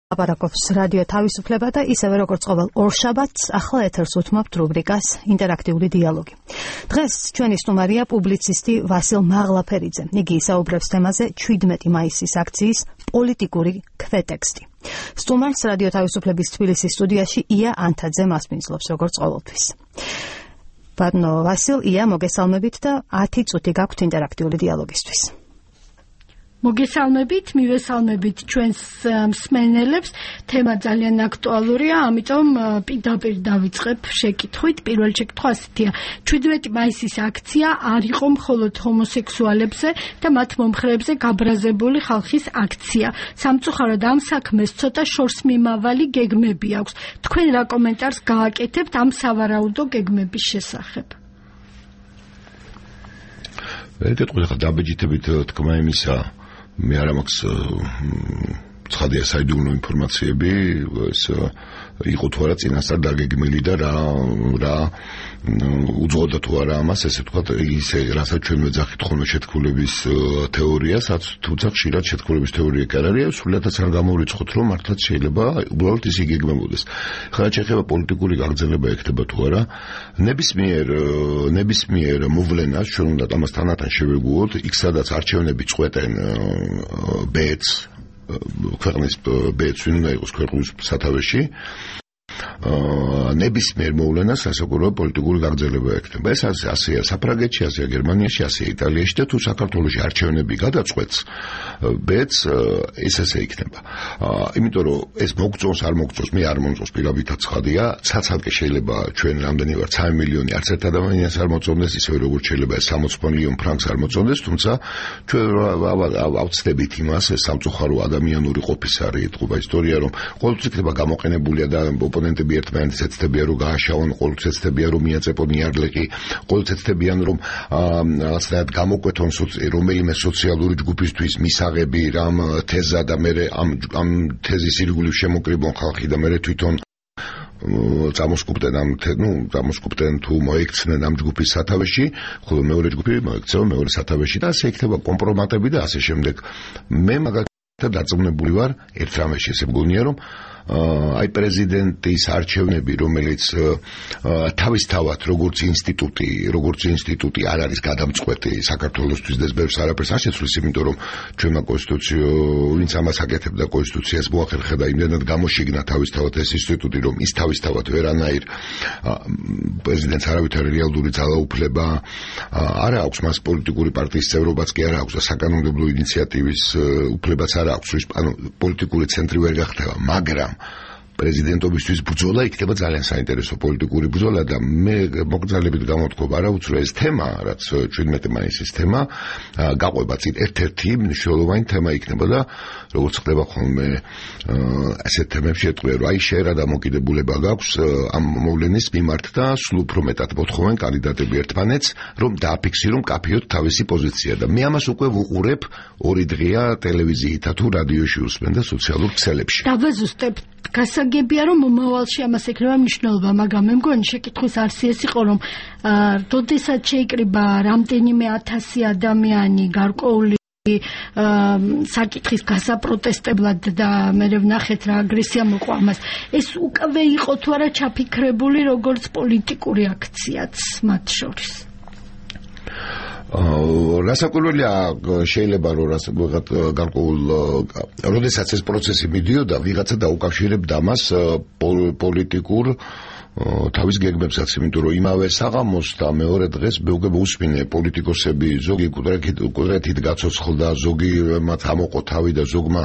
აპარაკობს რადიო თავისუფლება და ისევე როგორც ყოველ ორშაბათს ახლა ეთერს უთმობთ რუბრიკას ინტერაქტიული დიალოგი. დღეს ჩვენი სტუმარია პუბლიცისტი ვასილ მაღლაფერიძე. იგი ისაუბრებს თემაზე 17 მაისის აქციის პოლიტიკური ქვეტექსტი. სტუმარს რადიო თავისუფლების თბილისის სტუდიაში ია ანთაძე მასპინძლობს როგორც ყოველთვის. ბატონო ვასილ, ია, მოგესალმებით და 10 წუთი გაქვთ ინტერაქტიული დიალოგისთვის. მოგესალმებით, მივესალმებით ჩვენს მსმენელებს. თემა ძალიან აქტუალურია, ამიტომ პირდაპირ დავიწყებ შეკითხვით. პირველ შეკითხვა ასეთია: 17 მაისის აქცია არ იყო მხოლოდ ჰომოსექსუალებზე და მათ მომხრეებზე გაბრაზებული ხალხის აქცია. სამწუხაროდ ამ საქმეს ცოტა შორსმიმავალი გეგმები აქვს. თქვენ რა კომენტარს გააკეთებთ ამ სავარაუდო გეგმების შესახებ? ვერკეთყვი ხა დაბეჭდებით თქმა იმისა, მე არ მაქვს ცხადია საიდუმლო ინფორმაციები, ეს იყო თუ არა წინასწარ დაგეგმილი და რა უძღოდა თუ არა ამას, ესე ვთქვათ, ისე რასაც ჩვენ ვეძახით ხოლმე შეთქმულების თეორიას, თუმცა ხშირად შეთქმულების თეორია კი არ არის, სულადაც არ გამოვიწყოთ, რომ მართლაც შეიძლება უბრალოდ ის იგეგმებოდეს. ხა შეიძლება პოლიტიკური გაგრძელება ექნება თუ არა, ნებისმიერ მოვლენას ჩვენ უნდა ამას თანათან შევეგუოთ, იქ სადაც არჩევნები წყვეტენ ბედს, ქვეყნის ბედს ვინ უნდა იყოს ქვეყნის სათავეში, ნებისმიერ მოვლენას სასაკურველ პოლიტიკური გაგრძელება ექნება. ეს ასეა საფრანგეთში, ასეა გერმანიაში, ასეა იტალიაში და თუ საქართველოში არჩევნები გადაწყვეტს ბედს, ეს ასე იქნება. იმიტომ რომ ეს მოგწონს, არ მოგწონს, მე არ მომწონს პირობითად ცხადია, ცაცალკე შეიძლება ჩვენ რამდენი ვართ 3 მილიონი არც ერთ ადამიანს არ მოწონდეს, ისევე როგორც შეიძლება 60 მილიონ ფრანკს არ მოწონდეს, თუმცა ჩვენ ავწდებით იმას, ეს სამწუხარო ადამიანური ყოფის არის ეთყობა ისტორია, რომ ყოველთვის იქნება გამოყენებულია და ოპონენტები ერთმანეთს ეცდებიან რომ გააშავონ, ყოველთვის ეცდებიან რომ მიაწეპონ იარლეყი, ყოველთვის ეცდებიან რომ რაღაცნაირად გამოკვეთონ რომელიმე სოციალური ჯგუფისთვის მისაღები რამ თეზა და მე ამ თეზის ირგვლივ შემოკრიბონ ხალხი და მე თვითონ წამოსკუპტენ თუ მოექცნენ ამ ჯგუფის სათავეში, ხოლო მეორე ჯგუფი მოექცევა მეორე სათავეში და ასე იქნება კომპრომატები და ასე შემდეგ. მე მაგალითად დარწმუნებული ვარ ერთ რამეში, ესე მგონია რომ აი პრეზიდენტის არჩევნები, რომელიც თავისთავად როგორც ინსტიტუტი არ არის გადამწყვეტი საქართველოსთვის და ბევრს არაფერს არ შეცვლის, იმიტომ რომ ჩვენმა კონსტიტუციო, ვინც ამას აკეთებდა კონსტიტუციას მოახერხა და იმდენად გამოშიგნა თავისთავად ეს ინსტიტუტი, რომ ის თავისთავად ვერანაირ პრეზიდენტს არავითარი რეალური ძალაუფლება არ აქვს, მას პოლიტიკური პარტიის წევრობაც კი არ აქვს და საკანონმდებლო ინიციატივის უფლებაც არ აქვს, ანუ პოლიტიკური ცენტრი ვერ გახდება, მაგრამ პრეზიდენტობისთვის ბრძოლა იქნება ძალიან საინტერესო პოლიტიკური ბრძოლა და მე მოგზაურობით გამოთქვი არაუცრო ეს თემა, რაც 17 მაისის თემა, გაყვება წინ ერთ-ერთი მნიშვნელოვანი თემა იქნება და როგორც ხდება ხოლმე ასეთ თემებში ეტყვია, რომ აი შენ რა დამოკიდებულება გაქვს ამ მოვლენის მიმართ და სულ უფრო მეტად მოთხოვენ კანდიდატები ერთმანეთს, რომ დააფიქსირონ კაფეოთ თავისი პოზიცია და მე ამას უკვე ვუყურებ 2 დღეა ტელევიზიითა თუ რადიოში უსმენ და სოციალურ ქსელებში. დავაზუსტებ გასაგებია რომ მომავალში ამას ექნება მნიშვნელობა, მაგრამ მე მგონი შეკითხვის არსი ეს იყო, რომ როდესაც შეიკრიბა რამდენიმე 1000 ადამიანი გარკვეული საკითხის გასაპროტესტებლად და მე ვნახეთ რა აგრესია მოყვა ამას, ეს უკვე იყო თუ არა ჩაფიქრებული როგორც პოლიტიკური აქციაც მათ შორის? რასაკვირველია, შეიძლება რომ გარკვეულ როდესაც ეს პროცესი მიდიოდა, ვიღაცა დაუკავშირებდა ამას პოლიტიკურ თავის გეგმებსაც, იმიტომ რომ იმავე საღამოს და მეორე დღეს მეუღებ უსმინე პოლიტიკოსები, ზოგი კუდრეთით გაცოცხლდა, ზოგი მათ ამოყო თავი და ზოგმა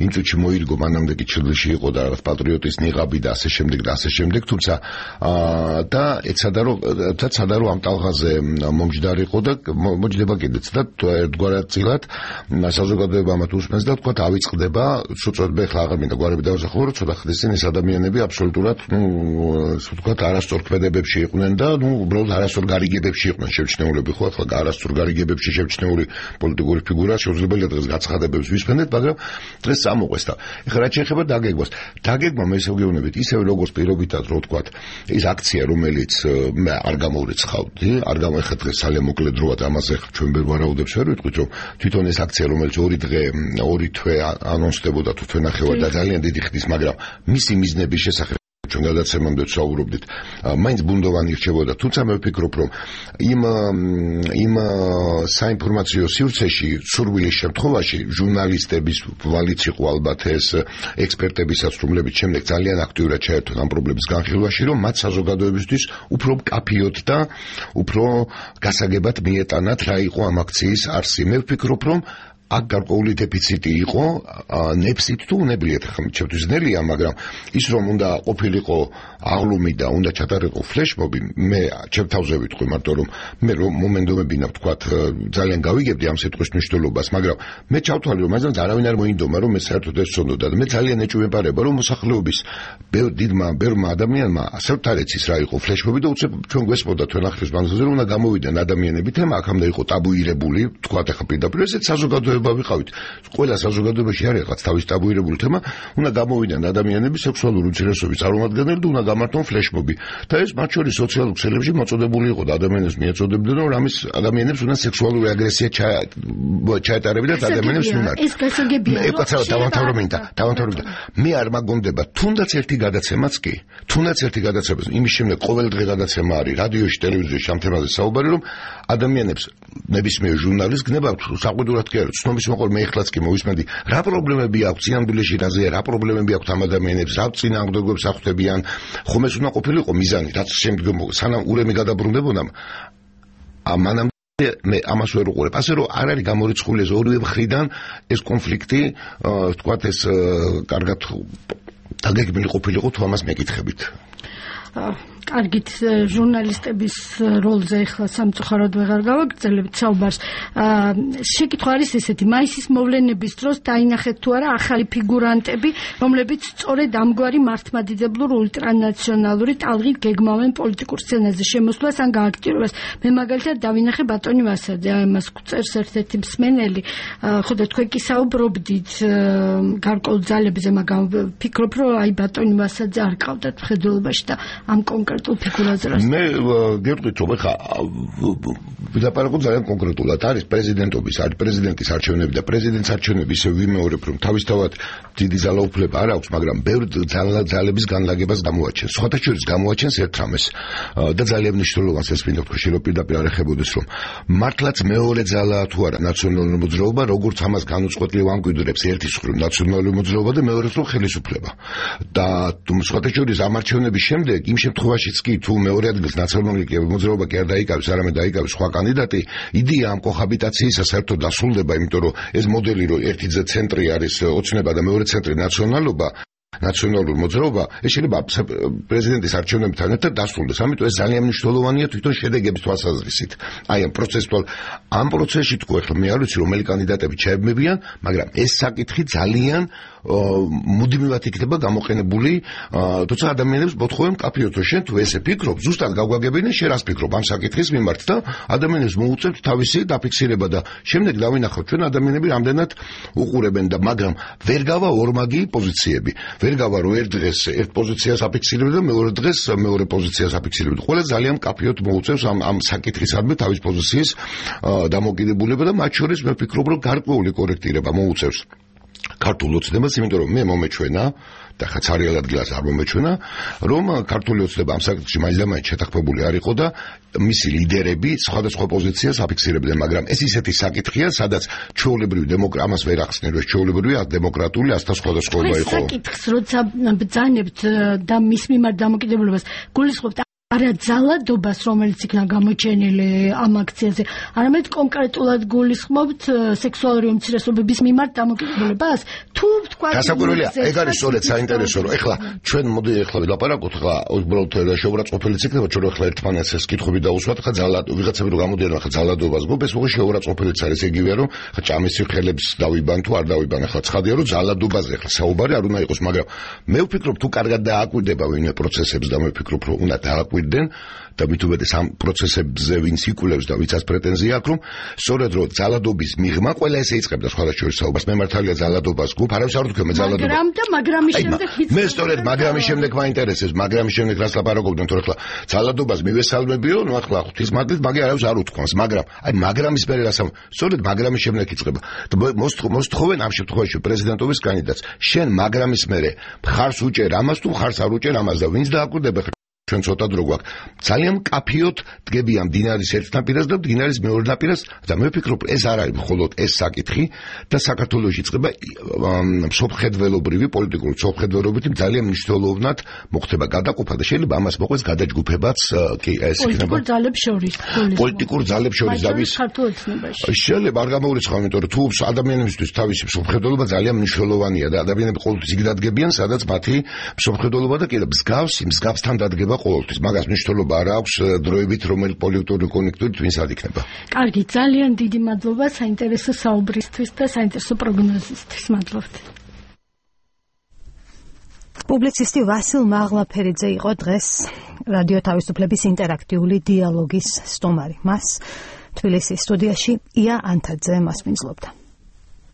იმ წუთში მოირგო, მანამდე კი ჩილში იყო და რაღაც პატრიოტის ნიღაბი და ასე შემდეგ, თუმცა და ეცადა რომ ამ ტალღაზე მომჯდარიყო და მოჯდება კიდეც და ერთგვარად წილად საზოგადოება მათ უსმენს და თქვა ავიწყდება, სუწოდება ხლა აღარ მინდა გვარები დავზახო, რომ ცოტა ხნის წინ ეს ადამიანები აბსოლუტურად ვთქვათ, არასწორ ქმედებებში იყვნენ და უბრალოდ არასწორ გარიგებებში იყვნენ შევჩნეულები, ხო, ახლა არასწორ გარიგებებში შევჩნეული პოლიტიკური ფიგურა შეუძლებელია დღეს გაცხადებებს ვისმენდეთ, მაგრამ დღეს წამოყვეს და ეხლა რაც შეეხება დაგეგმას. დაგეგმა მე ისე ვგეუბნებით, ისევე როგორც პირობითად რო ვთქვათ, ის აქცია, რომელიც მე არ გამოვრიცხავდი, არ გამეხა დღეს ძალიან მოკლე დროა და ამაზე ჩვენ ვერ ვარაუდებს ვერ ვიტყვით, რომ თვითონ ეს აქცია, რომელიც 2 თვე ანონსდებოდა თუ თვენახევარ და ძალიან დიდი ხნის, მაგრამ მისი მიზნების შესახებ ჩვენ გადაცემამდე ვსაუბრობდით, მაინც ბუნდოვანი რჩებოდა, თუმცა მე ვფიქრობ, რომ იმ საინფორმაციო სივრცეში, სურვილის შემთხვევაში, ჟურნალისტების ვალიც იყო ალბათ ეს ექსპერტებისაც, რომლებიც შემდეგ ძალიან აქტიურად ჩაერთონ ამ პრობლემის განხილვაში, რომ მათ საზოგადოებისთვის უფრო მკაფიოდ და უფრო გასაგებად მიეტანათ, რა იყო ამ აქციის არსი. მე ვფიქრობ, რომ აქ გარკვეული დეფიციტი იყო, ნებსით თუ უნებლიეთ, ხომ ჩემთვის ძნელია, მაგრამ ის რომ უნდა ყოფილიყო აღლუმი და უნდა ჩატარიყო ფლეშმობი, მე ჩემ თავზე ვიტყვი მარტო რომ მე რომ მომენტობებინა ვთქვათ, ძალიან გავიგებდი ამ სიტყვის მნიშვნელობას, მაგრამ მე ჩავთვალე რომ მაგას არავინ არ მოინდომა რომ მე საერთოდ ეს ვცოდოდა და მე ძალიან ეჭვმეპარება რომ მოსახლეობის ბევრმა ადამიანმა ასე თარეცის რა იყო ფლეშმობი და უცებ ჩვენ გვესმოდა თვენახრის მანძილზე რომ უნდა გამოვიდნენ ადამიანები, თემა აქამდე იყო ტაბუირებული, ვთქვათ ახლა პირდაპირ ესეც საზოგადოება ვიყავით. ყველა საზოგადოებაში არის რაღაც თავის ტაბუირებული თემა, უნდა გამოვიდნენ ადამიანები სექსუალური უმცირესობის წარმომადგენლები და უნდა გამართონ ფლეშმობი. და ეს მათ შორის სოციალურ ქსელებში მოწოდებული იყო და ადამიანებს მიეწოდებდნენ, რომ ამის ადამიანებს უნდა სექსუალური აგრესია ჩაეტარებინათ ადამიანებს მიმართ. ეს გასაგებია. დავამთავრებინდა. მე არ მაგონდება, თუნდაც ერთი გადაცემაც კი, იმის შემდეგ ყოველ დღე გადაცემა არის რადიოში, ტელევიზიაში ამ თემაზე საუბარი, რომ ადამიანებს ნებისმიერ ჟურნალისტს გნება საყვედურად კი არის ცნობის მოყოლ მე ეხლაც კი მოვისმენდი რა პრობლემები აქვს სინამდვილეში რაზეა რა პრობლემები აქვს ამ ადამიანებს რა წინააღმდეგობებს ახვდებიან ხომ ეს უნდა ყოფილიყო მიზანი რაც შემდგომ სანამ ურემი გადაბრუნდებოდა ამანამ მე ამას ვერ უყურებ ასე რომ არ არის გამორიცხული ეს ორივე მხრიდან ეს კონფლიქტი თქვათ ეს კარგად დაგეგმილი ყოფილიყო თუ ამას მეკითხებით კარგით ჟურნალისტების როლზე ახლა სამწუხაროდ ვეღარ გავაგრძელებთ საუბარს. შეკითხვა არის ესეთი, მაისის მოვლენების დროს დაინახეთ თუ არა ახალი ფიგურანტები, რომლებიც სწორედ ამგვარი მართლმადიდებლურ ულტრანაციონალური ტალღით გეგმავენ პოლიტიკურ სცენაზე შემოსვლას ან გააქტიურებას. მე მაგალითად დავინახე ბატონი ვასაძე, ამას წერს ერთ-ერთი მსმენელი, ხოდა თქვენ კი საუბრობდით გარკვეულ ძალებზე, მაგრამ ვფიქრობ, რომ აი ბატონი ვასაძე არ ყავდათ მხედველობაში და ამ კონკრეტულ ფიგურაზე რა. მე გეტყვით რომ ხა ვილაპარაკო ძალიან კონკრეტულად არის პრეზიდენტობის, არის პრეზიდენტის არჩევნები და პრეზიდენტის არჩევნები ისე ვიმეორებ რომ თავისთავად დიდი ძალაუფლება არ აქვს, მაგრამ ბევრი ძალების განლაგებას გამოაჩენს. სხვათა შორის გამოაჩენს ერთ რამეს და ძალიან მნიშვნელოვანს ეს მინდა თქვა შეიძლება პირდაპირ არ ეხებოდეს რომ მართლაც მეორე ძალაა თუ არა ნაციონალური მოძრაობა, როგორც ამას განუწყვეტლივ ამკვიდრებს ერთის მხრივ ნაციონალური მოძრაობა და მეორეს მხრივ ხელისუფლება. და სხვათა შორის ამ არჩევნების შემდეგ იმ შემთხვევაშიც კი თუ მეორე ადგილს ნაციონალური მოძრაობა კი არ დაიკავებს, არამედ დაიკავებს სხვა კანდიდატი, იდეა ამ კოჰაბიტაციისა საერთოდ დასრულდება, იმიტომ რომ ეს მოდელი რომ ერთი ცენტრი არის ოცნება და მეორე ცენტრი ნაციონალობა ნაციონალური მოძრაობა, ეს შეიძლება პრეზიდენტის არჩევნებთან ერთად დასრულდეს. ამიტომ ეს ძალიან მნიშვნელოვანია თვითონ შედეგების თვალსაზრისით. აი ამ პროცესში თქვა ახლა მე არ ვიცი რომელი კანდიდატები ჩაებმებიან, მაგრამ ეს საკითხი ძალიან მუდმივად იქნება გამოყენებული, თუმცა ადამიანებს მოთხოვენ მკაფიოდ რომ შენ თუ ესე ფიქრობ, ზუსტად გავგაგებინე შენ რას ფიქრობ ამ საკითხის მიმართ და ადამიანებს მოუწევთ თავისი დაფიქსირება და შემდეგ დავინახოთ ჩვენ ადამიანები რამდენად უყურებენ და მაგრამ ვერ გავა ორმაგი პოზიციები. ვერ გავა რომ ერთ დღეს ერთ პოზიციას აფიქსირებდი და მეორე დღეს მეორე პოზიციას აფიქსირებდი. ყველა ძალიან მკაფიოდ მოუწევს ამ საკითხისადმი თავის პოზიციის დამოკიდებულება და მათ შორის მე ვფიქრობ რომ გარკვეული კორექტირება მოუწევს ქართულ ოცნებას, იმიტომ რომ მე მომეჩვენა და ხა ცარიელ ადგილას არ მომეჩვენა, რომ ქართული ოცნება ამ საკითხში მაინც შეთანხმებული არ იყო და მისი ლიდერები სხვადასხვა პოზიციას აფიქსირებდნენ, მაგრამ ეს ისეთი საკითხია, სადაც ჩვეულებრივი ამას ვერ ახსნე, რომ ჩვეულებრივი დემოკრატიული ასთა სხვადასხვაობა იყო. საკითხს როცა ბრძანებთ და მის მიმართ დამოკიდებულებას გულისხმობთ არა ძალადობას, რომელიც იქნა გამოჩენილი ამ აქციაზე, არამედ კონკრეტულად გულისხმობთ სექსუალური უმცირესობების მიმართ დამოკიდებულებას, თუ თქვა გასაკვირველია, ეგ არის სწორედ საინტერესო, რომ ეხლა ჩვენ მოდი ეხლა ვილაპარაკოთ, ეხლა უბრალოდ შეურაცხყოფილიც იქნება, ჩვენ ეხლა ერთმანეთს ეს კითხვები დავუსვათ, ხა ვიღაცები რომ გამოდიან ხა ძალადობას გუბეს, უღი შეურაცხყოფილიც არის ეგივეა, რომ ხა ჭამის ხელებს დავიბან თუ არ დავიბან, ეხლა ცხადია, რომ ძალადობაზე ეხლა საუბარი არ უნდა იყოს, მაგრამ მე ვფიქრობ, თუ კარგად დააკვირდება ვინმე პროცესებს და მე ვფიქრობ, რომ უნდა დააკვირდნენ და მით უმეტეს ამ პროცესებზე ვინც იკვლევს და ვიცაც პრეტენზია აქვს, რომ სწორედ რომ ძალადობის მიღმა ყველა ესე იწყებდა სხვადასხვა საუბარს. მე მართალია ძალადობას გუბ, არავის არ ვთქვი მე ძალადობა. მაგრამ შემდეგ მე სწორედ მაგრამის შემდეგ მაინტერესებს, მაგრამის შემდეგ რას ლაპარაკობდნენ, თორე ხლა ძალადობას მივესალმებიო, ნუ ახლა ღვთის მაგდით, მაგე არავის არ უთქვამს, მაგრამ აი მაგრამის მერე რას სწორედ მაგრამის შემდეგ იწყება. მოსთხოვენ ამ შემთხვევაში პრეზიდენტობის კანდიდატს. შენ მაგრამის მერე მხარს უჭერ ამას თუ მხარს არ უჭერ ამას და ვინც დააკვირდება ჩვენ ცოტა დრო გვაქვს. ძალიან კაფიოდ დგებია მდინარის ერთ ნაპირას და მდინარის მეორე ნაპირას და მე ვფიქრობ ეს არ არის მხოლოდ ეს საკითხი და საქართველოში იწყება მსოფლმხედველობრივი პოლიტიკური მსოფლმხედველობითი ძალიან მნიშვნელოვნად მოხდება გადაყოფა და შეიძლება ამას მოყვეს გადაჯგუფებაც კი ეს იქნება პოლიტიკურ ძალებს შორის დავის შეიძლება არ გამოურიცხავ, იმიტომ რომ თუ ადამიანებისთვის თავისი მსოფლმხედველობა ძალიან მნიშვნელოვანია და ადამიანები ყოველთვის იქ დადგებიან, სადაც მათი მსოფლმხედველობა და კიდევ მსგავსთან დადგება ყოველთვის, მაგას მნიშვნელობა არ აქვს დროებით, რომელი პოლიტიკური კონექტურით ვინც არ იქნება. კარგი, ძალიან დიდი მადლობა საინტერესო საუბრისთვის და საინტერესო პროგნოზისთვის. მადლობთ. პუბლიცისტი ვასილ მაღლაფერიძე იყო დღეს რადიო თავისუფლების ინტერაქტიული დიალოგის სტუმარი. მას თბილისის სტუდიაში ია ანთაძე მასპინძლობდა.